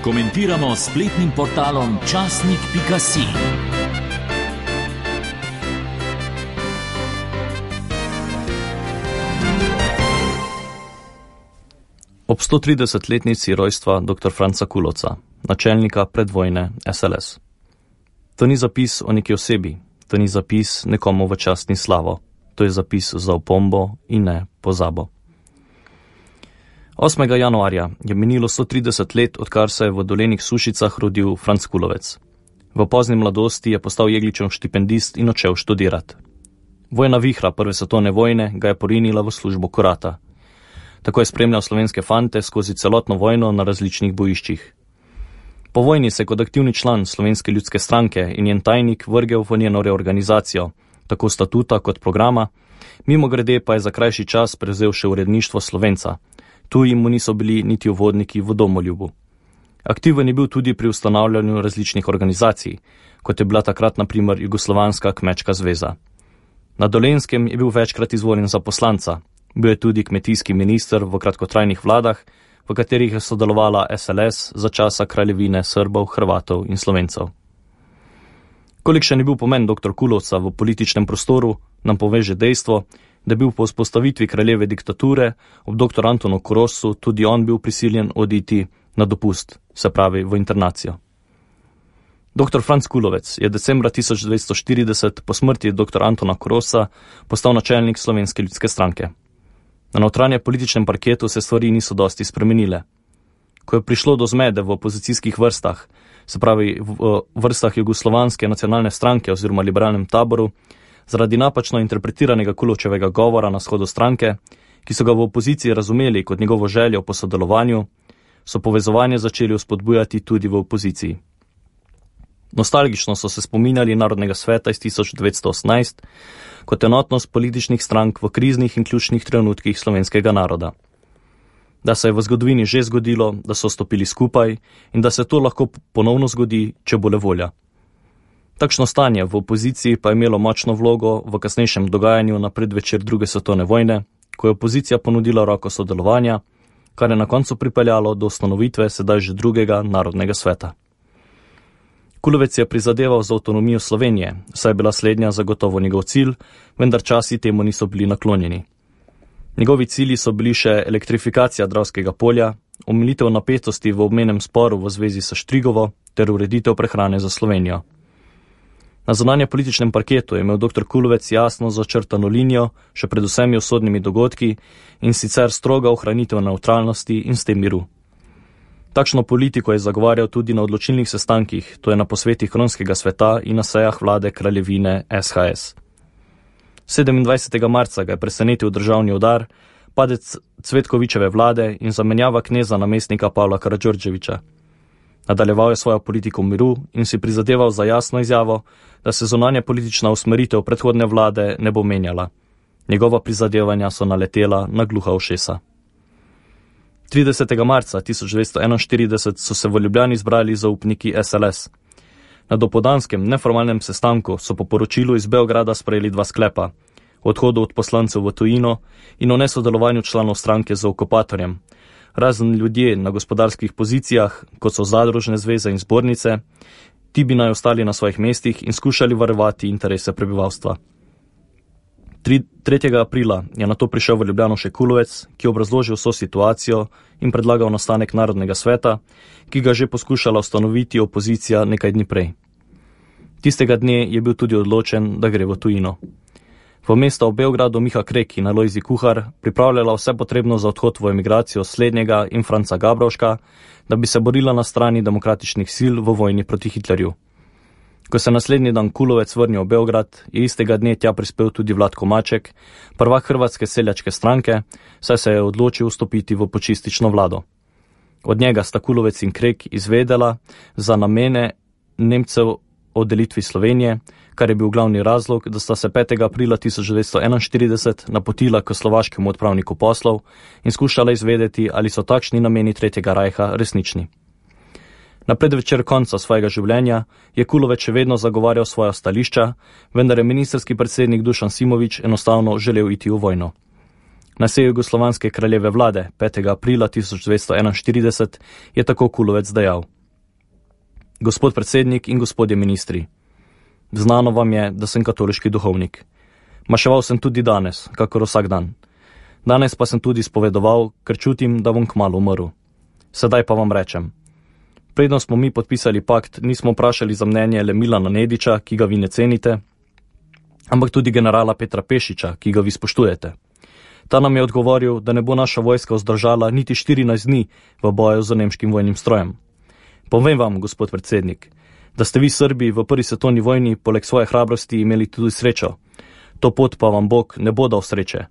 Komentiramo s spletnim portalom časnik.si. Ob 130-letnici rojstva dr. Franca Kulovca, načelnika predvojne SLS. To ni zapis o neki osebi, to ni zapis nekomu v čast in slavo, to je zapis za opombo in ne pozabo. 8. januarja je minilo 130 let, odkar se je v Dolenih Sušicah rodil Franc Kulovec. V pozni mladosti je postal Jegličev štipendist in odšel študirat. Vojna vihra prve svetovne vojne ga je porinila v službo kurata. Tako je spremljal slovenske fante skozi celotno vojno na različnih bojiščih. Po vojni se kot aktivni član Slovenske ljudske stranke in njen tajnik vrgel v njeno reorganizacijo, tako statuta kot programa, mimogrede pa je za krajši čas prevzel še uredništvo Slovenca. Tu mu niso bili niti uvodniki v domoljubu. Aktiven je bil tudi pri ustanavljanju različnih organizacij, kot je bila takrat na primer Jugoslovanska kmečka zveza. Na Dolenjskem je bil večkrat izvoljen za poslanca. Bil je tudi kmetijski minister v kratkotrajnih vladah, v katerih je sodelovala SLS za časa kraljevine Srbov, Hrvatov in Slovencev. Kolikšen je bil pomen dr. Kulovca v političnem prostoru, nam pove že dejstvo, da je bil po vzpostavitvi kraljeve diktature ob dr. Antonu Korosu tudi on bil prisiljen oditi na dopust, se pravi v internacijo. Dr. Franc Kulovec je decembra 1940 po smrti dr. Antona Korosa postal načelnik Slovenske ljudske stranke. Na notranje političnem parketu se stvari niso dosti spremenile. Ko je prišlo do zmede v opozicijskih vrstah, se pravi v vrstah Jugoslovanske nacionalne stranke oziroma liberalnem taboru, zaradi napačno interpretiranega Kulovčevega govora na shodu stranke, ki so ga v opoziciji razumeli kot njegovo željo po sodelovanju, so povezovanje začeli vzpodbujati tudi v opoziciji. Nostalgično so se spominjali Narodnega sveta iz 1918 kot enotnost političnih strank v kriznih in ključnih trenutkih slovenskega naroda. Da se je v zgodovini že zgodilo, da so stopili skupaj in da se to lahko ponovno zgodi, če bo le volja. Takšno stanje v opoziciji pa je imelo močno vlogo v kasnejšem dogajanju na predvečer druge svetovne vojne, ko je opozicija ponudila roko sodelovanja, kar je na koncu pripeljalo do ustanovitve sedaj že drugega Narodnega sveta. Kulovec je prizadeval za avtonomijo Slovenije, saj je bila slednja zagotovo njegov cilj, vendar časi temu niso bili naklonjeni. Njegovi cilji so bili še elektrifikacija Dravskega polja, omilitev napetosti v obmejnem sporu v zvezi s Štrigovo ter ureditev prehrane za Slovenijo. Na zunanje političnem parketu je imel dr. Kulovec jasno začrtano linijo, še pred vsemi usodnimi dogodki, in sicer stroga ohranitev nevtralnosti in s tem miru. Takšno politiko je zagovarjal tudi na odločilnih sestankih, to je na posvetih Kronskega sveta in na sejah vlade kraljevine SHS. 27. marca ga je presenetil državni udar, padec Cvetkovićeve vlade in zamenjava kneza namestnika Pavla Karadžordževića. Nadaljeval je svojo politiko miru in si prizadeval za jasno izjavo, da se zunanja politična usmeritev predhodne vlade ne bo menjala. Njegova prizadevanja so naletela na gluha ušesa. 30. marca 1941 so se v Ljubljani zbrali zaupniki SLS. Na dopoldanskem neformalnem sestanku so po poročilu iz Beograda sprejeli dva sklepa: o odhodu od poslancev v tujino in o nesodelovanju članov stranke z okupatorjem. Razen ljudje na gospodarskih pozicijah, kot so zadružne zveze in zbornice, ti bi naj ostali na svojih mestih in skušali varovati interese prebivalstva. 3. aprila je nato prišel v Ljubljano še Kulovec, ki je obrazložil vso situacijo in predlagal nastanek Narodnega sveta, ki ga že poskušala ustanoviti opozicija nekaj dni prej. Tistega dne je bil tudi odločen, da gre v tujino. V mesto v Beogradu Miha Krek in Alojzij Kuhar pripravljala vse potrebno za odhod v emigracijo slednjega in Franca Gabrovška, da bi se borila na strani demokratičnih sil v vojni proti Hitlerju. Ko se naslednji dan Kulovec vrnil v Beograd, je istega dne tja prispel tudi Vlatko Maček, prvak Hrvatske seljačke stranke, saj se je odločil vstopiti v počistično vlado. Od njega sta Kulovec in Krek izvedela za namene Nemcev o delitvi Slovenije, kar je bil glavni razlog, da sta se 5. aprila 1941 napotila k slovaškemu odpravniku poslov in skušala izvedeti, ali so takšni nameni Tretjega rajha resnični. Na predvečer konca svojega življenja je Kulovec še vedno zagovarjal svoja stališča, vendar je ministrski predsednik Dušan Simović enostavno želel iti v vojno. Na seji Jugoslovanske kraljeve vlade 5. aprila 1941 je tako Kulovec dejal: Gospod predsednik in gospodje ministri, znano vam je, da sem katoliški duhovnik. Maševal sem tudi danes, kakor vsak dan. Danes pa sem tudi spovedoval, ker čutim, da bom kmalu umrl. Sedaj pa vam rečem. Predno smo mi podpisali pakt, nismo vprašali za mnenje le Milana Nediča, ki ga vi ne cenite, ampak tudi generala Petra Pešiča, ki ga vi spoštujete. Ta nam je odgovoril, da ne bo naša vojska vzdržala niti 14 dni v boju z nemškim vojnim strojem. Povem vam, gospod predsednik, da ste vi Srbi v prvi svetovni vojni poleg svoje hrabrosti imeli tudi srečo. To pot pa vam Bog ne bo dal sreče.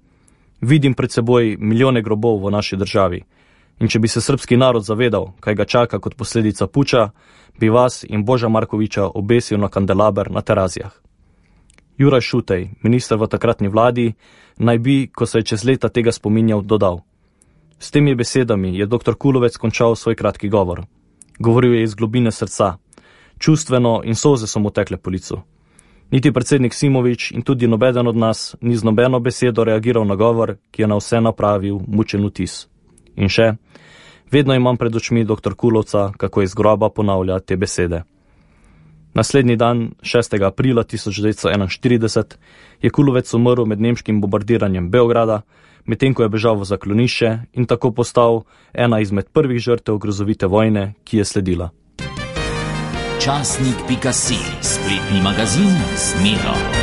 Vidim pred seboj milijone grobov v naši državi. In če bi se srbski narod zavedal, kaj ga čaka kot posledica puča, bi vas in Boža Markoviča obesil na kandelaber na Terazijah. Juraj Šutej, minister v takratni vladi, naj bi, ko se je čez leta tega spominjal, dodal. S temi besedami je dr. Kulovec končal svoj kratki govor. Govoril je iz globine srca. Čustveno in solze so mu tekle po licu. Niti predsednik Simovič in tudi nobeden od nas ni z nobeno besedo reagiral na govor, ki je na vse napravil mučen vtis. In še, vedno imam pred očmi dr. Kulovca, kako iz groba ponavlja te besede. Naslednji dan, 6. aprila 1941, je Kulovec umrl med nemškim bombardiranjem Beograda, medtem ko je bežal v zaklonišče in tako postal ena izmed prvih žrtev grozovite vojne, ki je sledila. Časnik.si, spletni magazin z Miro.